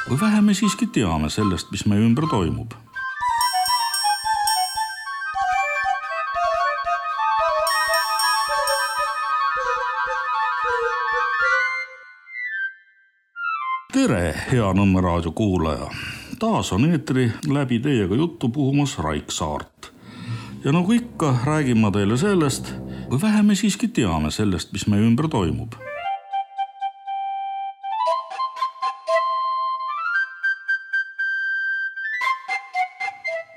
Või vähe me siiski teame sellest, mis meie ümber toimub. Tere, hea Nõmme raadio kuulaja! Taas on eetri läbi teiega juttu puhumas Raik Saart. Ja nagu ikka, räägin ma teile sellest, või vähe me siiski teame sellest, mis meie ümber toimub.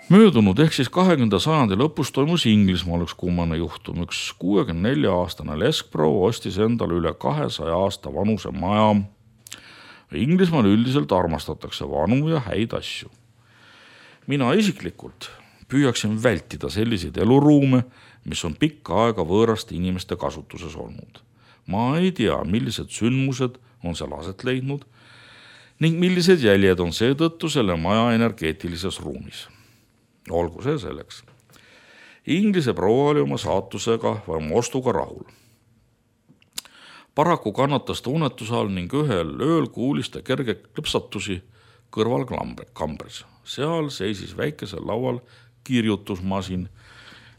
Möödunud ehk siis 20. sajandi lõpus toimus Inglismaal üks kummane juhtum. Üks 64-aastane leskproua ostis endale üle 200 aasta vanuse maja. Inglismaal üldiselt armastatakse vanu ja häid asju. Mina isiklikult püüaksin vältida selliseid eluruume, mis on pikka aega võõraste inimeste kasutuses olnud. Ma ei tea, millised sündmused on seal aset leidnud ning millised jäljed on seetõttu selle maja energeetilises ruumis. Olgu see selleks. Inglise proua oli oma saatusega või oma ostuga rahul. Paraku kannatas ta unetuse all ning ühel ööl kuulis ta kerge klõpsatusi kõrval kambris. Seal seisis väikesel laual kirjutusmasin,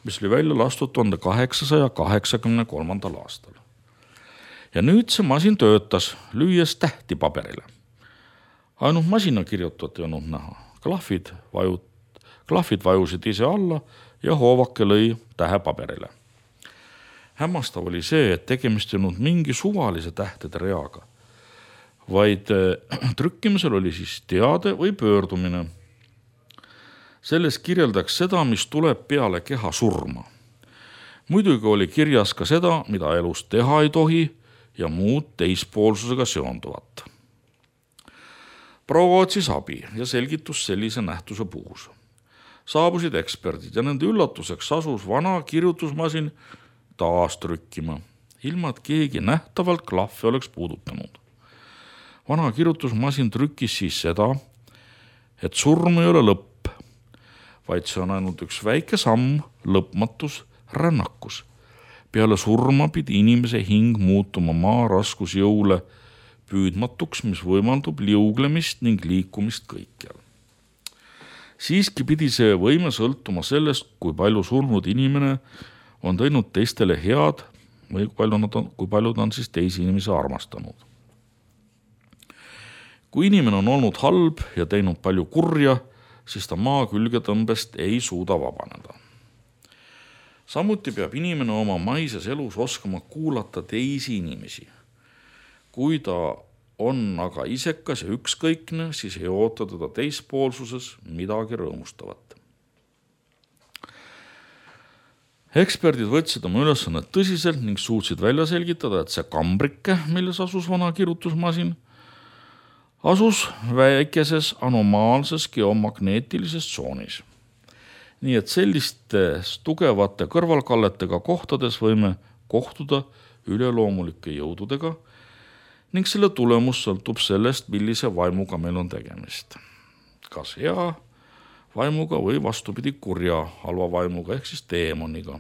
mis oli välja lastud 1883. aastal. Ja nüüd see masin töötas, lüües tähti paberile. Ainult masina kirjutat ei olnud näha. Klahvid vajusid ise alla ja hoovake lõi tähe paberile. Hämmastav oli see, et tegemist ei olnud mingi suvalise tähtede reaga, vaid trükkimisel oli siis teade või pöördumine. Selles kirjeldaks seda, mis tuleb peale keha surma. Muidugi oli kirjas ka seda, mida elus teha ei tohi ja muud teispoolsusega seonduvat. Proua otsis abi ja selgitus sellise nähtuse puhus. Saabusid eksperdid ja nende üllatuseks asus vana kirjutusmasin taas trükkima, ilma et keegi nähtavalt klahve oleks puudutanud. Vana kirjutusmasin trükkis siis seda, et surm ei ole lõpp, vaid see on ainult üks väike samm lõpmatus rännakus. Peale surma pidi inimese hing muutuma maa raskusjõule püüdmatuks, mis võimaldub liuglemist ning liikumist kõikjal. Siiski pidi see võime sõltuma sellest, kui palju surnud inimene on teinud teistele head või kui palju ta on siis teisi inimesi armastanud. Kui inimene on olnud halb ja teinud palju kurja, siis ta maa külgetõmbest ei suuda vabaneda. Samuti peab inimene oma maises elus oskama kuulata teisi inimesi. Kui ta on aga isekas ja ükskõikne, siis ei oota teda teispoolsuses midagi rõõmustavat. Eksperdid võtsid oma ülesannet tõsiselt ning suutsid välja selgitada, et see kambrike, milles asus vana kirjutusmasin, asus väikeses anomaalses geomagneetilises tsoonis. Nii et sellistes tugevate kõrvalkalletega kohtades võime kohtuda üleloomulike jõududega ning selle tulemus sõltub sellest, millise vaimuga meil on tegemist. Kas hea vaimuga või vastupidi kurja halva vaimuga ehk siis teemoniga.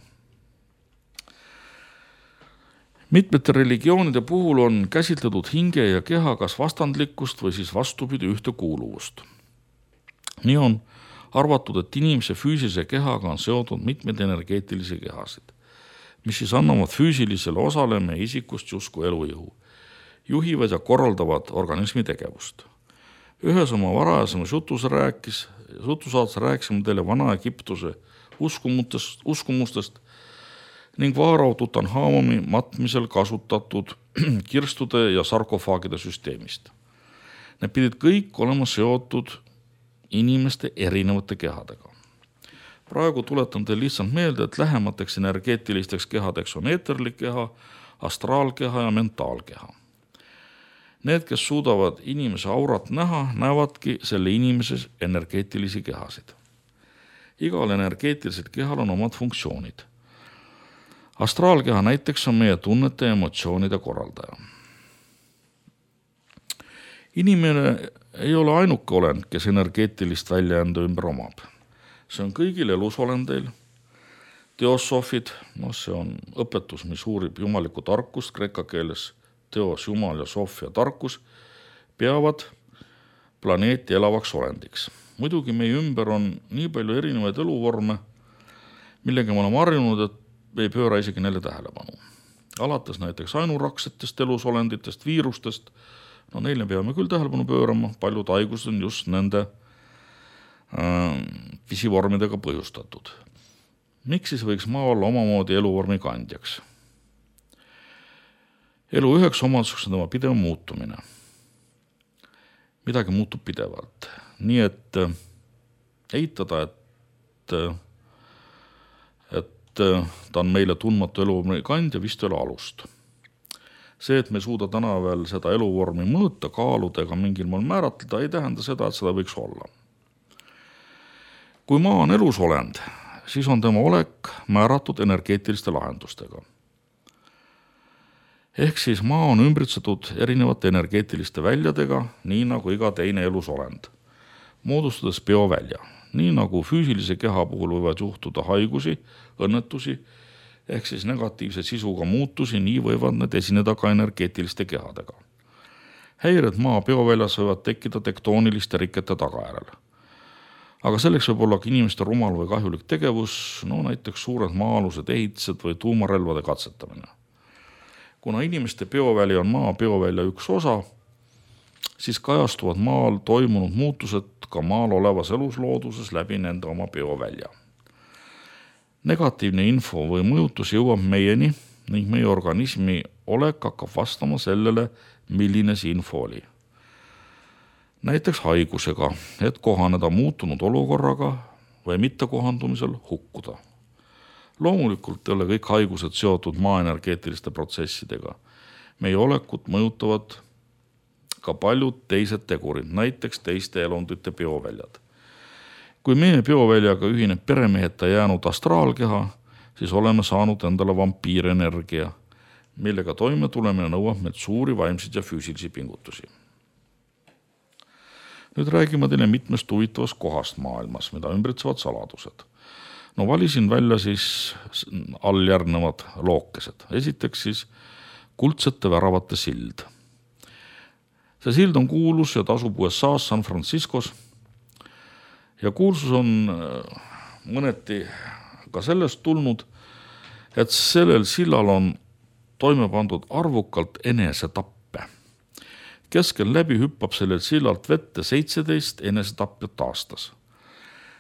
Mitmete religioonide puhul on käsitletud hinge ja keha kas vastandlikkust või siis vastupidi ühtekuuluvust. Nii on arvatud, et inimese füüsilise kehaga on seotud mitmeid energeetilisi kehasid, mis siis annavad füüsilisele osale meie isikust justkui elujõu, juhivad ja korraldavad organismi tegevust. Ühes oma varajasemas jutusaates rääkisime teile Vana-Egiptuse uskumustest ning Vaarao Tutanhamoni matmisel kasutatud kirstude ja sarkofaagide süsteemist. Need pidid kõik olema seotud inimeste erinevate kehadega. Praegu tuletan teile lihtsalt meelde, et lähemateks energeetilisteks kehadeks on eeterlik keha, astraalkeha ja mentaalkeha. Need, kes suudavad inimese aurat näha, näevadki selle inimeses energeetilisi kehasid. Igal energeetilisel kehal on omad funktsioonid. Astraalkeha näiteks on meie tunnete ja emotsioonide korraldaja. Inimene ei ole ainuke olend, kes energeetilist väljaenda ümber omab. See on kõigil elusolendeil. Teosoofid, see on õpetus, mis uurib jumalikku tarkust, kreeka keeles teos, jumal ja sofia tarkus, peavad planeeti elavaks olendiks. Muidugi meie ümber on nii palju erinevaid eluvorme, millega me oleme harjunud, et me ei pööra isegi neile tähelepanu. Alates näiteks ainuraksetest elusolenditest, viirustest, no neile peame küll tähelepanu pöörama, paljud haigused on just nende pisivormidega põhjustatud. Miks siis võiks maa olla omamoodi eluvormi kandjaks? Elu üheks omaduseks on tema pidev muutumine. Midagi muutub pidevalt. Nii et eitada, et ta on meile tundmatu eluvormi kandja, vist ei ole alust. See, et me ei suuda täna veel seda eluvormi mõõta, kaaluda ega mingil moel määratleda, ei tähenda seda, et seda võiks olla. Kui maa on elusolend, siis on tema olek määratud energeetiliste lahendustega. Ehk siis maa on ümbritsetud erinevate energeetiliste väljadega, nii nagu iga teine elusolend, moodustades biovälja. Nii nagu füüsilise keha puhul võivad juhtuda haigusi, õnnetusi, ehk siis negatiivse sisuga muutusi, nii võivad need esineda ka energeetiliste kehadega. Häired maa bioväljas võivad tekkida tektooniliste rikete tagajärel. Aga selleks võib olla ka inimeste rumal või kahjulik tegevus, no näiteks suured maa-alused ehitised või tuumarelvade katsetamine. Kuna inimeste bioväli on maa biovälja üks osa, siis kajastuvad maal toimunud muutused ka maal olevas eluslooduses läbi nende oma biovälja. Negatiivne info või mõjutus jõuab meieni ning meie organismi olek hakkab vastama sellele, milline see info oli. Näiteks haigusega, et kohaneda muutunud olukorraga või mittekohandumisel hukkuda. Loomulikult ei ole kõik haigused seotud maa energeetiliste protsessidega. Meie olekut mõjutavad ka paljud teised tegurid, näiteks teiste elundite bioväljad. Kui meie bioväljaga ühineb peremeheta jäänud astraalkeha, siis oleme saanud endale vampiirenergia, millega toime tulemine nõuab meilt suuri vaimseid ja füüsilisi pingutusi. Nüüd räägime teile mitmest huvitavast kohast maailmas, mida ümbritsevad saladused. No valisin välja siis alljärgnevad lookesed. Esiteks siis kuldsete väravate sild. See sild on kuulus ja tasub USA-s San Franciscos. Ja kuulsus on mõneti ka sellest tulnud, et sellel sillal on toime pandud arvukalt enesetappe. Keskel läbi hüppab sellel sillalt vette 17 enesetapjat aastas.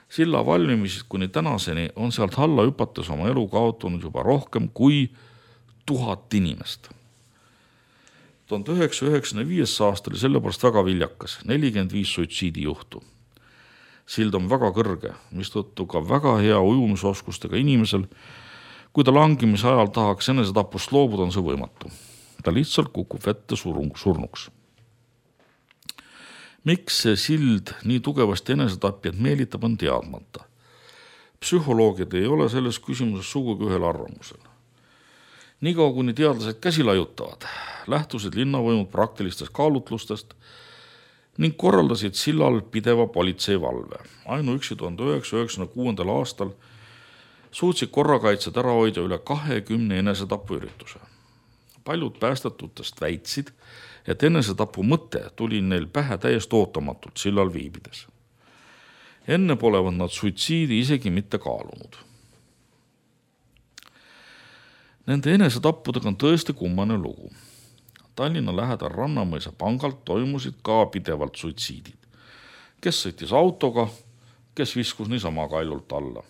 Silla valmimised kuni tänaseni on sealt alla hüpates oma elu kaotunud juba rohkem kui 1000 inimest. 1995. aastal oli sellepärast väga viljakas, 45 suitsiidijuhtu. Sild on väga kõrge, mistõttu ka väga hea ujumisoskustega inimesel, kui ta langimise ajal tahaks enesetapust loobuda, on see võimatu. Ta lihtsalt kukub vette surnuks. Miks see sild nii tugevasti enesetapjad meelitab, on teadmata. Psühholoogid ei ole selles küsimuses sugugi ühel arvamusel. Niikaua kuni teadlased käsi laiutavad, lähtusid linnavõimud praktilistest kaalutlustest ning korraldasid sillal pideva politseivalve. Ainuüksi 1996. aastal suutsid korrakaitsjad ära hoida üle 20 enesetapu ürituse. Paljud päästetutest väitsid, et enesetapu mõte tuli neil pähe täiesti ootamatult sillal viibides. Enne polevad nad suitsiidi isegi mitte kaalunud. Nende enesetappudega on tõesti kummane lugu. Tallinna lähedal Rannamõisa pangalt toimusid ka pidevalt suitsiidid. Kes sõitis autoga, kes viskus niisama kaljult alla.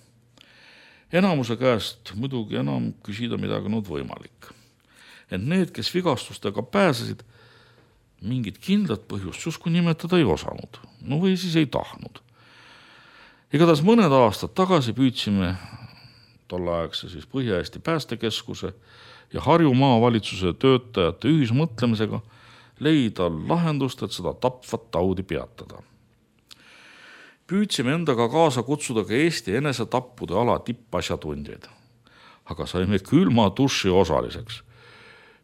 Enamuse käest muidugi enam küsida midagi nüüd võimalik. Et need, kes vigastustega pääsesid, mingit kindlat põhjust justkui nimetada ei osanud, no või siis ei tahtnud. Igatahes mõned aastad tagasi püüdsime tolleaegse siis Põhja-Eesti päästekeskuse ja Harju maavalitsuse töötajate ühismõtlemisega leida lahendust, et seda tapvat taudi peatada. Püüdsime endaga kaasa kutsuda ka Eesti enesetappude ala tippasjatundjaid, aga saime külma duši osaliseks.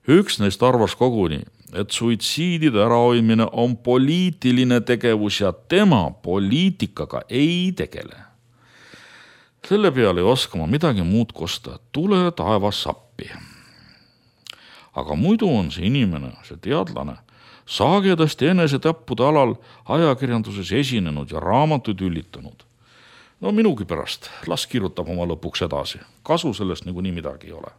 Üks neist arvas koguni, et suitsiidide ärahoidmine on poliitiline tegevus ja tema poliitikaga ei tegele. Selle peale ei oska ma midagi muud kosta, tule taevas sappi. Aga muidu on see inimene, see teadlane, sagedasti enesetappude alal ajakirjanduses esinenud ja raamatuid üllitanud. No minugi pärast, las kirjutab oma lõpuks edasi, kasu sellest niikuinii midagi ei ole.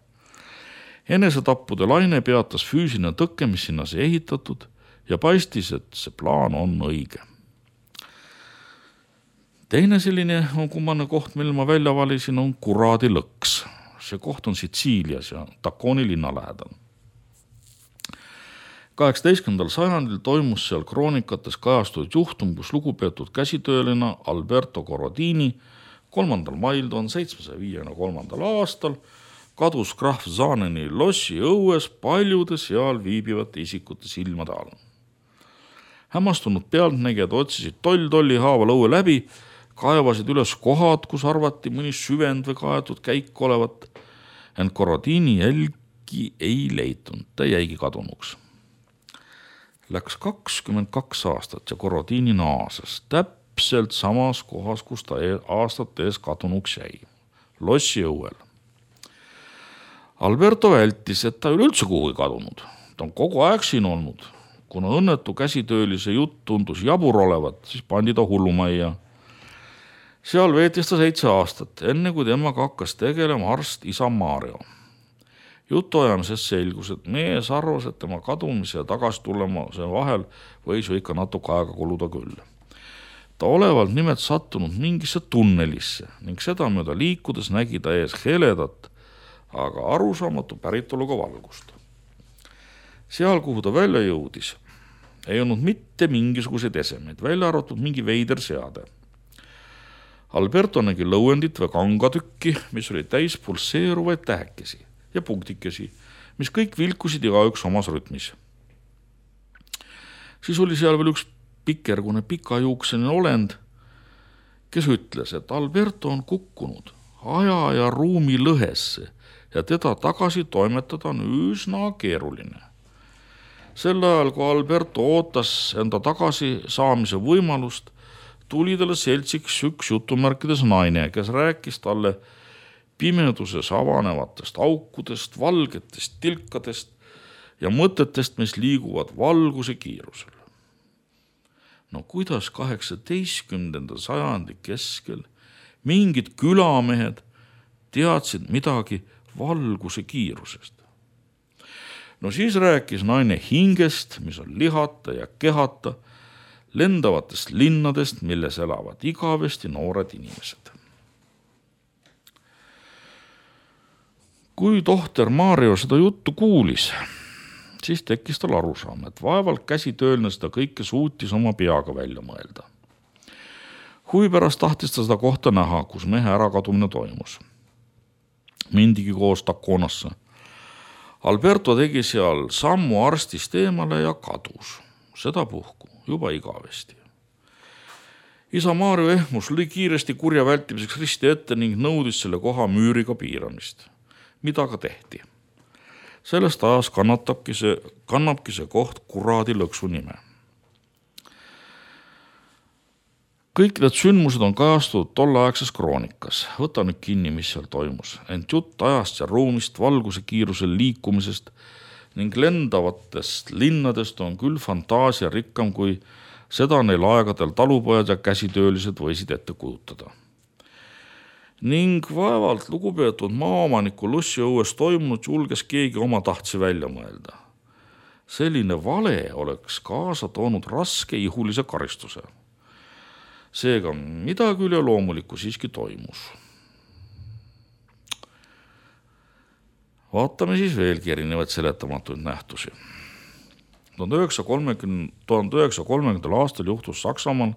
Enesetappude laine peatas füüsiline tõkke, mis sinna see ehitatud ja paistis, et see plaan on õige. Teine selline kummane koht, mille ma välja valisin, on Kuradi lõks. See koht on Sitsiilias ja Taconi linna lähedal. 18. sajandil toimus seal kroonikates kajastunud juhtum, kus lugupeetud käsitööline Alberto Corradini 3. mail 1753. aastal kadus krahv Zaaneni lossi õues paljude seal viibivate isikute silmade all. Hämmastunud pealtnägijad otsisid tolli haaval õue läbi, kaevasid üles kohad, kus arvati mõni süvend või kaetud käik olevat, ent Corradini jälgi ei leitunud, ta jäigi kadunuks. Läks 22 aastat ja Corradini naases täpselt samas kohas, kus ta aastate ees kadunuks jäi, lossi õuel. Alberto vältis, et ta üleüldse kuhugi kadunud. Ta on kogu aeg siin olnud. Kuna õnnetu käsitöölise jutt tundus jabur olevat, siis pandi ta hullumajja. Seal veetis ta 7 aastat, enne kui temaga hakkas tegelema arst isa Mario. Jutuajamises selgus, et mees arvas, et tema kadumise ja tagasi tulemise vahel võis ju ikka natuke aega kuluda küll. Ta olevalt nimelt sattunud mingisse tunnelisse ning seda mööda liikudes nägi ta ees heledat, aga arusaamatu päritoluga valgust. Seal, kuhu ta välja jõudis, ei olnud mitte mingisuguseid esemeid, välja arvatud mingi veider seade. Alberto nägi lõuendit või kangatükki, mis oli täis pulseeruvaid tähekesi ja punktikesi, mis kõik vilkusid igaüks omas rütmis. Siis oli seal veel üks pikergune pikajuuksene olend, kes ütles, et Alberto on kukkunud aja ja ruumi lõhesse ja teda tagasi toimetada on üsna keeruline. Sel ajal, kui Alberto ootas enda tagasi saamise võimalust, tuli talle seltsiks üks jutumärkides naine, kes rääkis talle pimeduses avanevatest aukudest, valgetest tilkadest ja mõtetest, mis liiguvad valguse kiirusel. No kuidas 18. sajandi keskel mingid külamehed teadsid midagi valguse kiirusest? No siis rääkis naine hingest, mis on lihata ja kehata, lendavatest linnadest, milles elavad igavesti noored inimesed. Kui tohter Mario seda juttu kuulis, siis tekkis tal arusaam, et vaevalt käsitöölne seda kõike suutis oma peaga välja mõelda. Huvi pärast tahtis ta seda kohta näha, kus mehe ärakadumine toimus. Mindigi koos Taconasse. Alberto tegi seal sammu arstist eemale ja kadus, sedapuhku juba igavesti. Isa Mario ehmus lõi kiiresti kurja vältimiseks risti ette ning nõudis selle koha müüriga piiramist, mida ka tehti. Sellest ajas kannabki see koht Kuradi lõksu nime. Kõik need sündmused on kajastunud tolleaegses kroonikas. Võta nüüd kinni, mis seal toimus. Ent jutt ajast ja ruumist, valguse kiirusel liikumisest ning lendavatest linnadest on küll fantaasia rikkam, kui seda neil aegadel talupojad ja käsitöölised võisid ette kujutada. Ning vaevalt lugupeetud maaomaniku lossiõues toimunud julges keegi oma tahtsi välja mõelda. Selline vale oleks kaasa toonud raske ihulise karistuse. Seega midagi üle loomulikku siiski toimus. Vaatame siis veelgi erinevaid seletamatuid nähtusi. 1930. aastal juhtus Saksamaal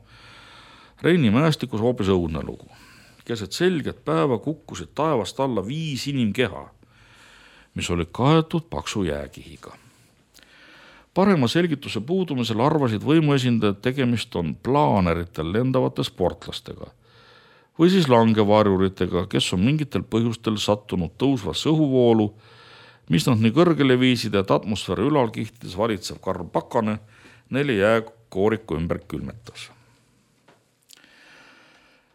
Reini mäestikus hoopis õudne lugu. Keset selget päeva kukkusid taevast alla 5 inimkeha, mis olid kaetud paksu jääkihiga. Parema selgituse puudumisel arvasid võimuesindajad, tegemist on plaaneritel lendavate sportlastega või siis langevarjuritega, kes on mingitel põhjustel sattunud tõusvasse õhuvoolu, mis nad nii kõrgele viisid, et atmosfääri ülalkihtides valitsev karv pakane neile jääkooriku ümber külmetas.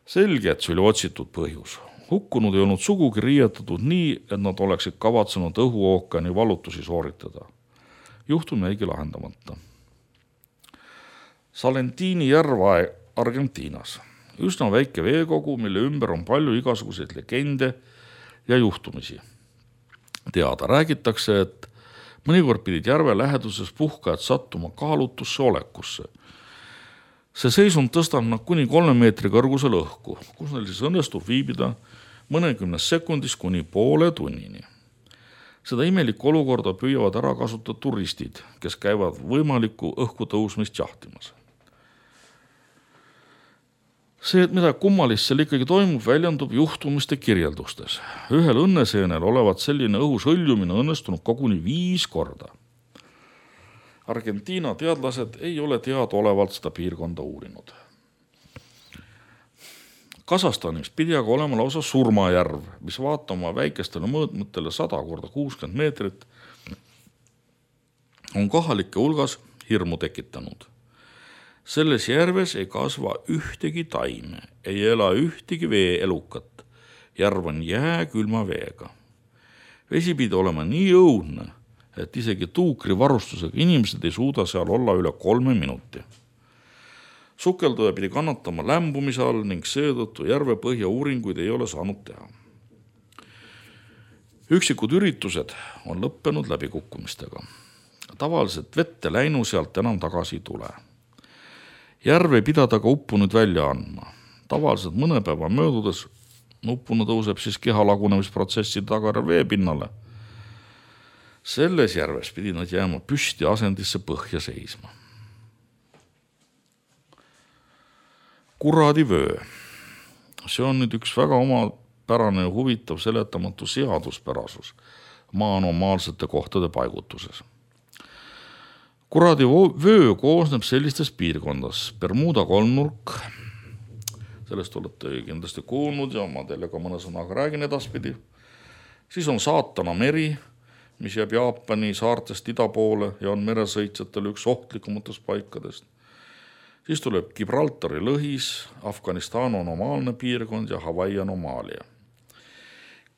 Selge, et see oli otsitud põhjus. Hukkunud ei olnud sugugi riietatud nii, et nad oleksid kavatsenud õhuookani valutusi sooritada. Juhtum jäigi lahendamata. Salentini järv Argentiinas. Üsna väike veekogu, mille ümber on palju igasuguseid legende ja juhtumisi. Teada räägitakse, et mõnikord pidid järve läheduses puhkajad sattuma kaalutusse olekusse. See seisund tõstab nad kuni 3 meetri kõrgusel õhku, kus neil siis õnnestub viibida mõnekümnes sekundis kuni poole tunnini. Seda imelikku olukorda püüavad ära kasutada turistid, kes käivad võimalikku õhku tõusmist jahtimas. See, et mida kummalist seal ikkagi toimub, väljendub juhtumiste kirjeldustes. Ühel õnneseenel olevat selline õhus hõljumine õnnestunud koguni 5 korda. Argentiina teadlased ei ole teadaolevalt seda piirkonda uurinud. Kasahstanis pidi aga olema lausa surmajärv, mis vaatama väikestele mõõtmetele 100 korda 60 meetrit on kohalike hulgas hirmu tekitanud. Selles järves ei kasva ühtegi taime, ei ela ühtegi veeelukat. Järv on jääkülma veega. Vesi pidi olema nii õudne, et isegi tuukri varustusega inimesed ei suuda seal olla üle 3 minuti. Sukelduja pidi kannatama lämbumise all ning seetõttu järve põhja uuringuid ei ole saanud teha. Üksikud üritused on lõppenud läbikukkumistega. Tavaliselt vette läinu sealt enam tagasi ei tule. Järv ei pidada ka uppunud välja andma. Tavaliselt mõne päeva möödudes uppunu tõuseb siis keha lagunemisprotsessi tagajärjel veepinnale. Selles järves pidi nad jääma püsti asendisse põhja seisma. Kuradivöö. See on nüüd üks väga omapärane ja huvitav seletamatu seaduspärasus maa anomaalsete kohtade paigutuses. Kuradivöö koosneb sellistest piirkondas. Bermuda kolmnurk, sellest olete kindlasti kuulnud ja ma teile ka mõne sõnaga räägin edaspidi. Siis on Saatana meri, mis jääb Jaapani saartest ida poole ja on meresõitjatele üks ohtlikumatest paikadest. Siis tuleb Gibraltari lõhis, Afganistan anomaalne piirkond ja Hawaii anomaalia.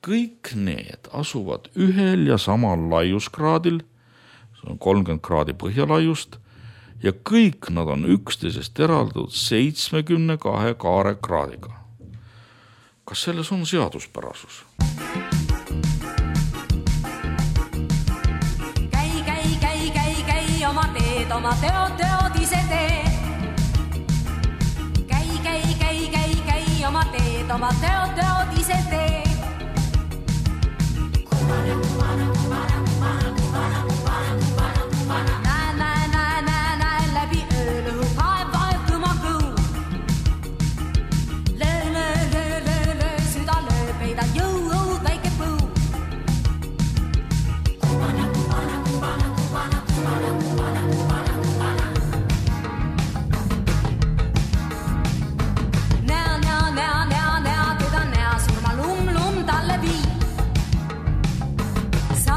Kõik need asuvad ühel ja samal laiuskraadil, see on 30 kraadi põhjalaiust, ja kõik nad on üksteisest eraldatud 72 kaarekraadiga. Kas selles on seaduspärasus? Käi, oma teed, oma teod ise tee. Käi, oma teed, oma teod ise tee. Näe, läbi öölu, vaevuma kõu. Löö, süda löö, peida jõud, väike põu. Näa, teda näa, surma lum talle vii. Sa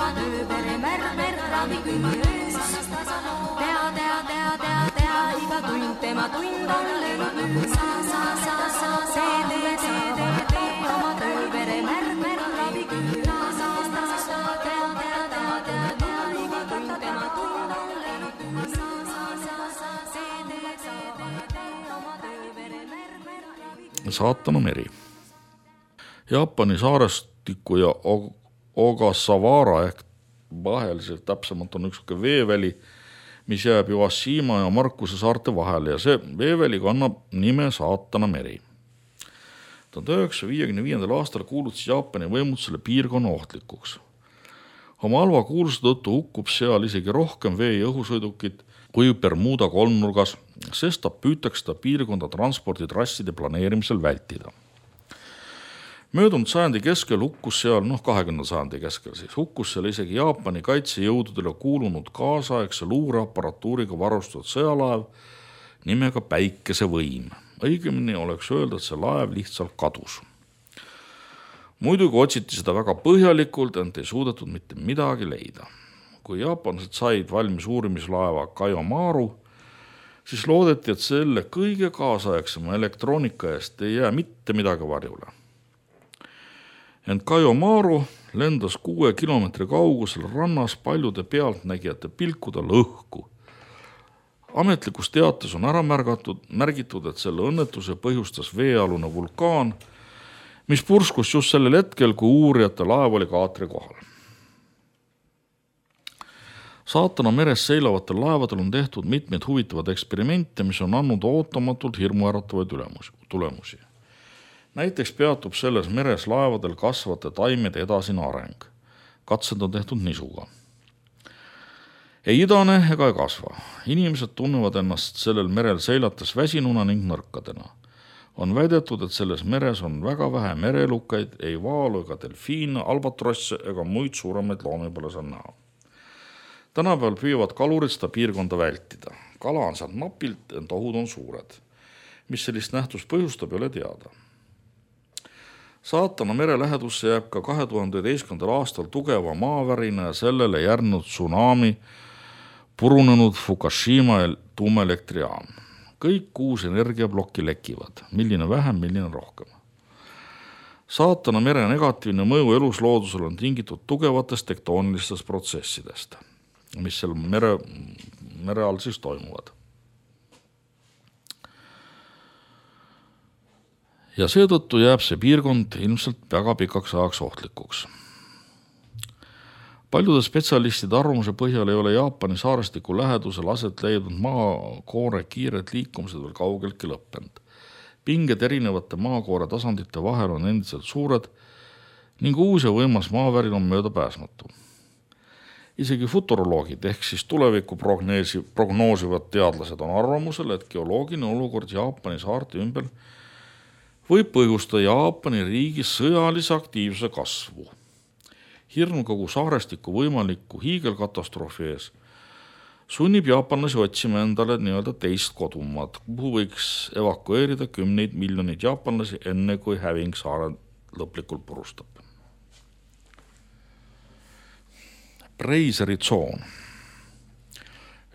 oma tööpere märmer ravikünni öös. Tea, iga tund tema tund on löönud nüüd. Tee oma tööpere märmer ravikünni öös. Tea, iga tund tema tund on löönud nüüd. Saatana meri. Jaapani saarestiku ja Ogasawara ehk vaheliselt täpsemalt on üks veeväli, mis jääb Iwashima ja Markuse saarte vahele ja see veeväli kannab nime Saatana meri. 1955. aastal kuulutas Jaapani võimud selle piirkonna ohtlikuks. Oma halva kuulsuse tõttu hukkub seal isegi rohkem vee- ja õhusõidukit kui Bermuda kolmnurgas, sest püütakse seda piirkonda transporditrasside planeerimisel vältida. Möödunud sajandi keskel hukkus seal, 20. sajandi keskel siis, hukkus seal isegi Jaapani kaitsejõududele kuulunud kaasaegse luureaparatuuriga varustatud sõjalaev nimega Päikesevõim. Õigemini oleks öelda, et see laev lihtsalt kadus. Muidugi otsiti seda väga põhjalikult, ent ei suudetud mitte midagi leida. Kui jaapanlased said valmis uurimislaeva Kaiomaru, siis loodeti, et selle kõige kaasaegsema elektroonika eest ei jää mitte midagi varjule. Ent Kaiomaru lendas 6 kilomeetri kaugusel rannas paljude pealtnägijate pilkudel õhku. Ametlikus teates on ära märgitud, et selle õnnetuse põhjustas veealune vulkaan, mis purskus just sellel hetkel, kui uurijate laev oli kaatri kohal. Saatana meres seilavatel laevadel on tehtud mitmeid huvitavad eksperimente, mis on andnud ootamatult hirmuäratavaid tulemusi. Näiteks peatub selles meres laevadel kasvavate taimede edasine areng. Katsed on tehtud nisuga. Ei idane ega ei kasva. Inimesed tunnevad ennast sellel merel seilates väsinuna ning nõrkadena. On väidetud, et selles meres on väga vähe merelukaid, ei vaalu ega delfiine, albatrosse ega muid suuremaid loomi pole seal näha. Tänapäeval püüavad kalurid seda piirkonda vältida. Kala on sealt napilt, ent ohud on suured. Mis sellist nähtust põhjustab, ei ole teada. Saatana mere lähedusse jääb ka 2011. aastal tugeva maavärina ja sellele järgnenud tsunami purunenud Fukushima tuumaelektrijaam. Kõik 6 energiablokki lekivad, milline vähem, milline rohkem. Saatana mere negatiivne mõju elusloodusel on tingitud tugevatest tektoonilistest protsessidest, mis seal mere all siis toimuvad. Ja seetõttu jääb see piirkond ilmselt väga pikaks ajaks ohtlikuks. Paljude spetsialistide arvamuse põhjal ei ole Jaapani saarestiku lähedusel aset leidnud maakoore kiired liikumised veel kaugeltki lõppenud. Pinged erinevate maakoore tasandite vahel on endiselt suured ning uus ja võimas maavärin on mööda pääsmatu. Isegi futuroloogid ehk siis tulevikku prognoosivad teadlased on arvamusel, et geoloogiline olukord Jaapani saarte ümber võib põhjustada Jaapani riigi sõjalise aktiivsuse kasvu. Hirm kogu saarestiku võimaliku hiigelkatastroofi ees sunnib jaapanlasi otsima endale nii-öelda teist kodumaad, kuhu võiks evakueerida 10 miljonit jaapanlasi enne, kui häving saare lõplikult purustab. Breiseri tsoon.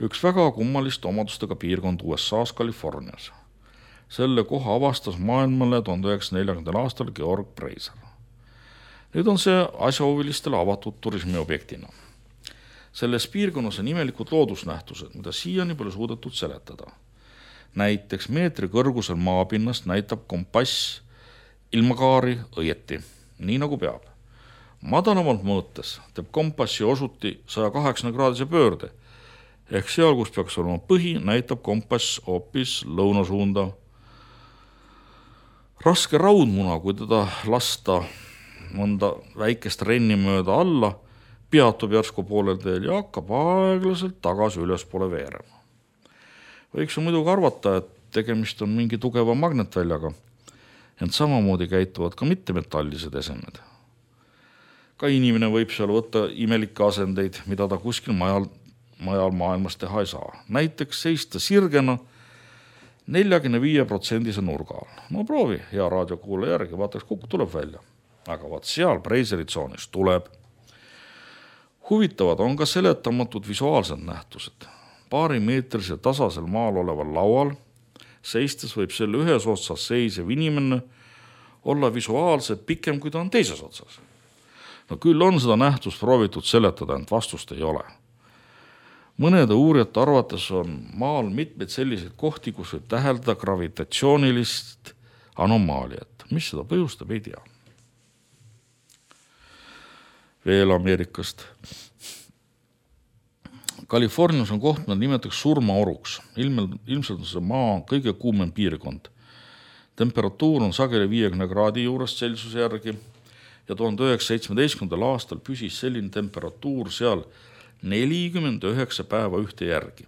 Üks väga kummaliste omadustega piirkond USA-s Californias. Selle koha avastas maailmale 1940. aastal Georg Breiser. Nüüd on see asjahuvilistele avatud turismiobjektina. Selles piirkonnas on imelikud loodusnähtused, mida siiani pole suudetud seletada. Näiteks meetri kõrgusel maapinnast näitab kompass ilmakaari õieti, nii nagu peab. Madalamalt mõõtes teeb kompassi osuti 180-kraadise pöörde, ehk seal, kus peaks olema põhi, näitab kompass hoopis lõunasuunda. Raske raudmuna, kui teda lasta mõnda väikest renni mööda alla, peatub järsku poolel teel ja hakkab aeglaselt tagasi ülespoole veerema. Võiks ju muidugi arvata, et tegemist on mingi tugeva magnetväljaga, ent samamoodi käituvad ka mittemetallised esemed. Ka inimene võib seal võtta imelikke asendeid, mida ta kuskil majal maailmas teha ei saa. Näiteks seista sirgena 45% nurga all. No proovi hea raadiokuule järgi, vaataks, kuhu tuleb välja. Aga vaat seal Breiseri tsoonis tuleb. Huvitavad on ka seletamatud visuaalsed nähtused. Paarimeetrisel tasasel maal oleval laual seistes võib selle ühes otsas seisev inimene olla visuaalselt pikem, kui ta on teises otsas. No küll on seda nähtust proovitud seletada, ent vastust ei ole. Mõnede uurijate arvates on maal mitmeid selliseid kohti, kus võib täheldada gravitatsioonilist anomaaliat. Mis seda põhjustab, ei tea. Veel Ameerikast. Californias on koht, mida nimetatakse surmaoruks. Ilmselt on see maa kõige kuumem piirkond. Temperatuur on sageli 50 kraadi juurest Celsiuse järgi ja 1917. aastal püsis selline temperatuur seal 49 päeva ühte järgi.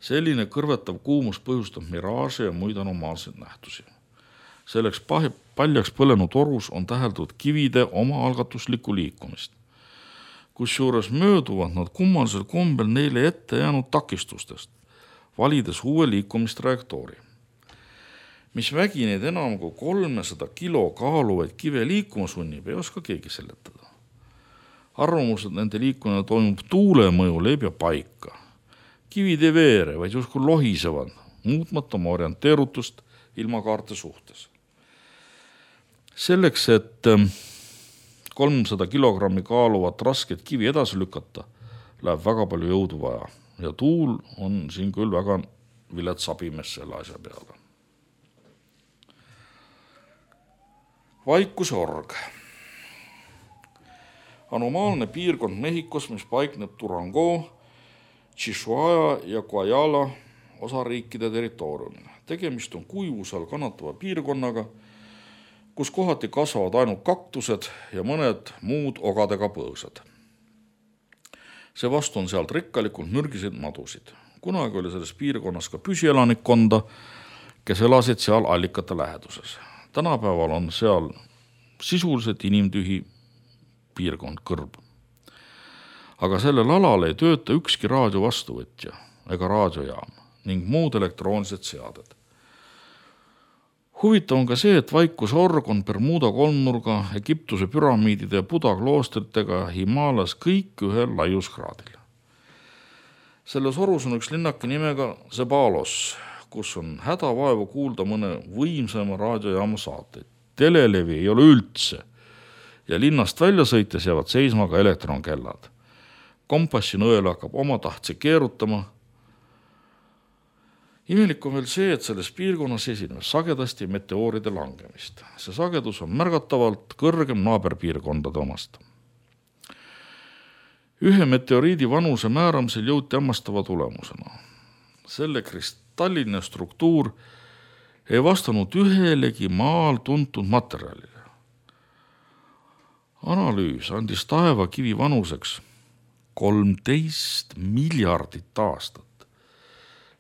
Selline kõrvetav kuumus põhjustab miraaže ja muid anomaalseid nähtusi. Selleks paljaks põlenud orus on täheldatud kivide omaalgatuslikku liikumist. Kusjuures mööduvad nad kummalisel kombel neile ette jäänud takistustest, valides uue liikumistrajektoori. Mis vägi neid enam kui 300 kilo kaaluvaid kive liikuma sunnib, ei oska keegi seletada. Arvamus, et nende liikumine toimub tuule mõjul, ei pea paika. Kivid ei veere, vaid justkui lohisevad, muutmata oma orienteerutust ilmakaarte suhtes. Selleks, et 300 kilogrammi kaaluvat rasket kivi edasi lükata, läheb väga palju jõudu vaja ja tuul on siin küll väga vilets abimees selle asja peale. Vaikuse org. Anomaalne piirkond Mehhikos, mis paikneb Durango, Chihuahua ja Guayala osariikide territooriumil. Tegemist on kuivusel kannatava piirkonnaga, kus kohati kasvavad ainult kaktused ja mõned muud ogadega põõsad. Seevastu on sealt rikkalikult mürgiseid madusid. Kunagi oli selles piirkonnas ka püsielanikkonda, kes elasid seal allikate läheduses. Tänapäeval on seal sisuliselt inimtühi piirkond kõrb. Aga sellel alal ei tööta ükski raadio vastuvõtja ega raadiojaam ning muud elektroonilised seaded. Huvitav on ka see, et Vaikuse org on Bermuda kolmnurga, Egiptuse püramiidide ja Buda kloostritega Himalas kõik ühel laiuskraadil. Selles orus on üks linnake nimega Zebalos, kus on hädavaevu kuulda mõne võimsama raadiojaama saateid. Telelevi ei ole üldse ja linnast välja sõites jäävad seisma ka elektronkellad. Kompassi nõel hakkab oma tahtsi keerutama. Imelik on veel see, et selles piirkonnas esineb sagedasti meteooride langemist. See sagedus on märgatavalt kõrgem naaberpiirkondade omast. Ühe meteoriidi vanuse määramisel jõuti hämmastava tulemusena. Selle kristalline struktuur ei vastanud ühelegi maal tuntud materjalile. Analüüs andis taevakivi vanuseks 13 miljardit aastat.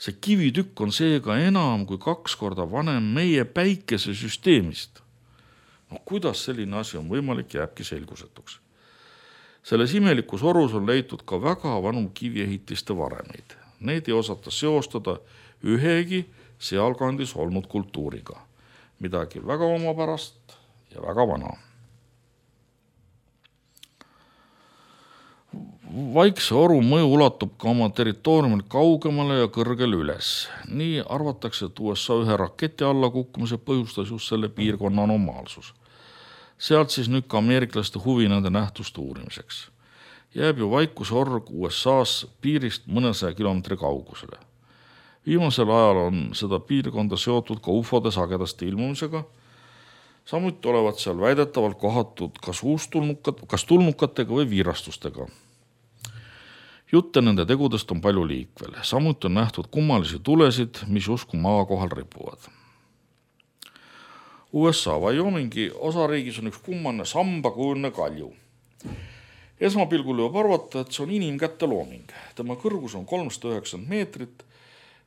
See kivitükk on seega enam kui 2 korda vanem meie päikesesüsteemist. Kuidas selline asi on võimalik, jääbki selgusetuks. Selles imelikus orus on leitud ka väga vanu kiviehitiste varemeid. Neid ei osata seostada ühegi sealkandis olnud kultuuriga. Midagi väga omapärast ja väga vana. Vaikse oru mõju ulatub ka oma territooriumil kaugemale ja kõrgele üles. Nii arvatakse, et USA ühe raketi alla kukkumise põhjustas just selle piirkonna anomaalsus. Sealt siis nüüd ka ameeriklaste huvi nende nähtuste uurimiseks. Jääb ju Vaikuse org USA's piirist mõnesaja kilomeetri kaugusele. Viimasel ajal on seda piirkonda seotud ka ufode sagedasti ilmumisega. Samuti olevat seal väidetavalt kohatud kas tulnukatega või viirastustega. Jutte nende tegudest on palju liikvel. Samuti on nähtud kummalisi tulesid, mis usku maa kohal ripuvad. USA Wyomingi osariigis on üks kummaline sambakujuline kalju. Esmapilgul võib arvata, et see on inimkätte looming. Tema kõrgus on 390 meetrit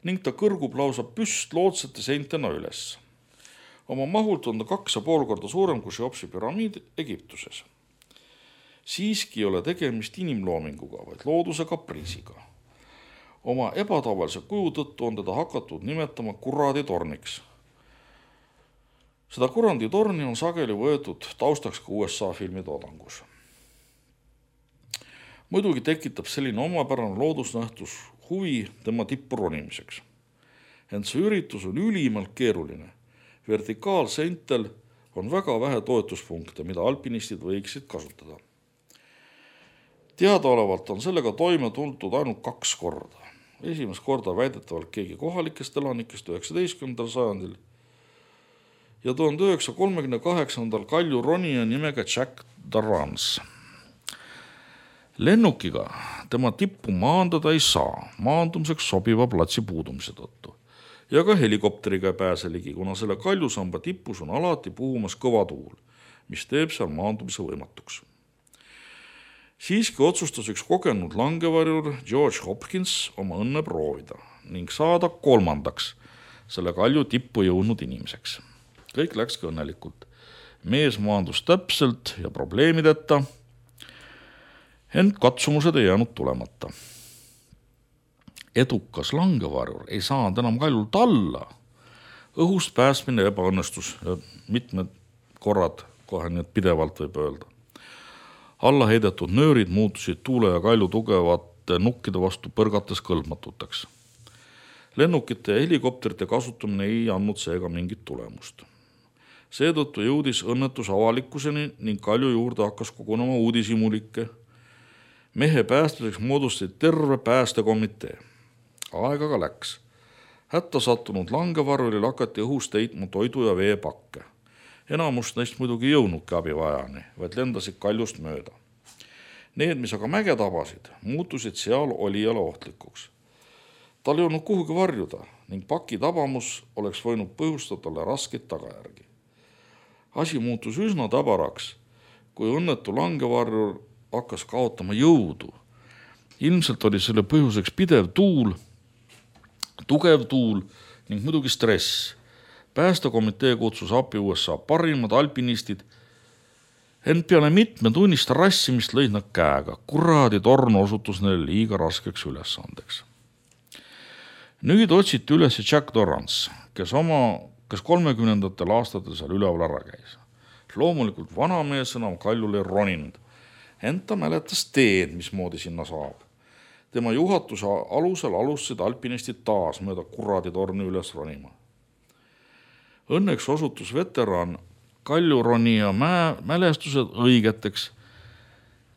ning ta kõrgub lausa püstloodsete seintena üles. Oma mahult on ta 2,5 korda suurem kui Cheopsi püramiid Egiptuses. Siiski ei ole tegemist inimloominguga, vaid looduse kapriisiga. Oma ebatavalise kuju tõttu on teda hakatud nimetama kuraditorniks. Seda kuranditorni on sageli võetud taustaks ka USA filmitoodangus. Muidugi tekitab selline omapärane loodusnähtus huvi tema tippu ronimiseks. Ent see üritus on ülimalt keeruline. Vertikaalseintel on väga vähe toetuspunkte, mida alpinistid võiksid kasutada. Teadaolevalt on sellega toime tuldud ainult 2 korda. Esimest korda väidetavalt keegi kohalikest elanikest 19. sajandil ja 1938. Kalju ronija nimega Jack Dorrance. Lennukiga tema tippu maandada ei saa maandumiseks sobiva platsi puudumise tõttu ja ka helikopteriga ei pääse ligi, kuna selle kaljusamba tipus on alati puhumas kõva tuul, mis teeb seal maandumise võimatuks. Siiski otsustas üks kogenud langevarjur George Hopkins oma õnne proovida ning saada 3. selle kalju tippu jõudnud inimeseks. Kõik läkski õnnelikult. Mees maandus täpselt ja probleemideta, ent katsumused ei jäänud tulemata. Edukas langevarjur ei saanud enam kaljult alla. Õhust pääsmine ebaõnnestus ja mitmed korrad, kohe nii pidevalt võib öelda. Alla heidetud nöörid muutusid tuule ja kalju tugevate nukkide vastu põrgates kõlbmatuteks. Lennukite ja helikopterite kasutamine ei andnud seega mingit tulemust. Seetõttu jõudis õnnetus avalikkuseni ning kalju juurde hakkas kogunema uudishimulikke. Mehe päästmiseks moodustati terve päästekomitee. Aega ka läks. Hätta sattunud langevarjuril hakati õhust heitma toidu ja veepakke. Enamust neist muidugi jõudnudki abivajani, vaid lendasid kaljust mööda. Need, mis aga mäge tabasid, muutusid seal olijale ohtlikuks. Tal ei olnud kuhugi varjuda ning paki tabamus oleks võinud põhjustada talle raskeid tagajärgi. Asi muutus üsna tabaraks, kui õnnetu langevarjur hakkas kaotama jõudu. Ilmselt oli selle põhjuseks pidev tuul, tugev tuul ning muidugi stress. Päästekomitee kutsus appi USA parimad alpinistid, ent peale mitmetunnist rassimist lõid nad käega. Kuradi torn osutus neile liiga raskeks ülesandeks. Nüüd otsiti üles Jack Dorrance, kes 30. aastatel seal üleval ära käis. Loomulikult vanamees enam kaljule ei roninud, ent ta mäletas teed, mismoodi sinna saab. Tema juhatuse alusel alustasid alpinistid taas mööda kuradi torni üles ronima. Õnneks osutus veteran kaljuronija mälestused õigeteks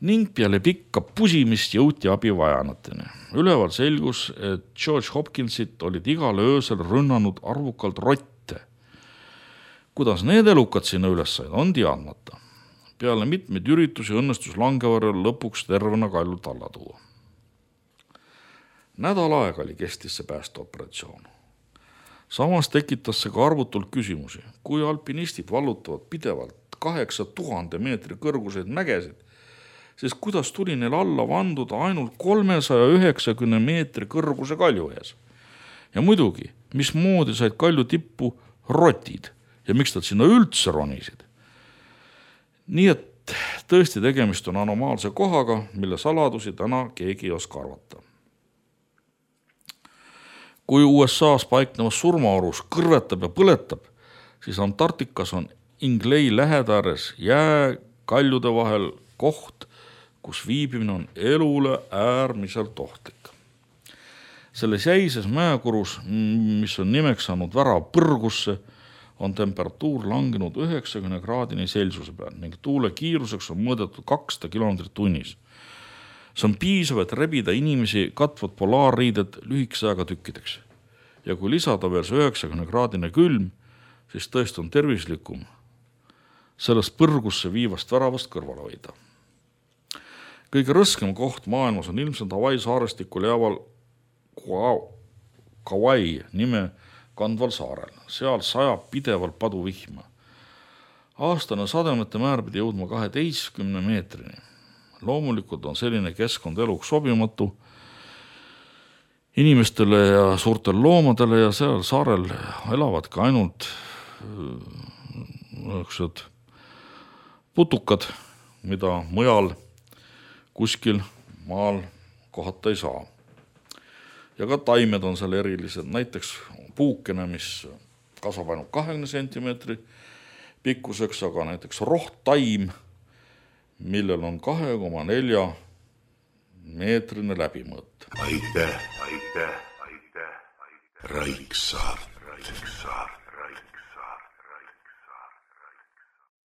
ning peale pikka pusimist jõuti abivajanateni. Üleval selgus, et George Hopkinsit olid igal öösel rünnanud arvukalt rotte. Kuidas need elukad sinna üles said, on teadmata. Peale mitmeid üritusi õnnestus langevarjul lõpuks tervena kaljult alla tuua. Nädal aega oli kestis see päästeoperatsioon. Samas tekitas see ka arvutult küsimusi, kui alpinistid vallutavad pidevalt 8000 meetri kõrguseid mägesid, siis kuidas tuli neil alla vanduda ainult 390 meetri kõrguse kalju ees. Ja muidugi, mismoodi said kalju tippu rotid ja miks nad sinna üldse ronisid. Nii et tõesti tegemist on anomaalse kohaga, mille saladusi täna keegi ei oska arvata. Kui USA's paiknevas surmaorus kõrvetab ja põletab, siis Antarktikas on Ingley lähedääres jääkaljude vahel koht, kus viibimine on elule äärmiselt ohtlik. Selles jäises mäekurus, mis on nimeks saanud värav põrgusse, on temperatuur langenud 90 kraadini Celsiuse peal ning tuule kiiruseks on mõõdetud 200 kilomeetrit tunnis. See on piisav, et rebida inimesi katvad polaarriided lühikese aega tükkideks. Ja kui lisada veel see 90 kraadine külm, siis tõesti on tervislikum sellest põrgusse viivast väravast kõrvale hoida. Kõige rõskem koht maailmas on ilmselt Hawaii saarestikul jääval Kauai nime kandval saarel. Seal sajab pidevalt paduvihma. Aastane sademete määr pidi jõudma 12 meetrini. Loomulikult on selline keskkond eluks sobimatu inimestele ja suurtel loomadele ja seal saarel elavad ka ainult putukad, mida mujal kuskil maal kohata ei saa. Ja ka taimed on seal erilised, näiteks puukene, mis kasvab ainult 20 sentimeetri pikkuseks, aga näiteks rohttaim, millel on 2,4 meetrine läbimõõt. aitäh, Raiksaart.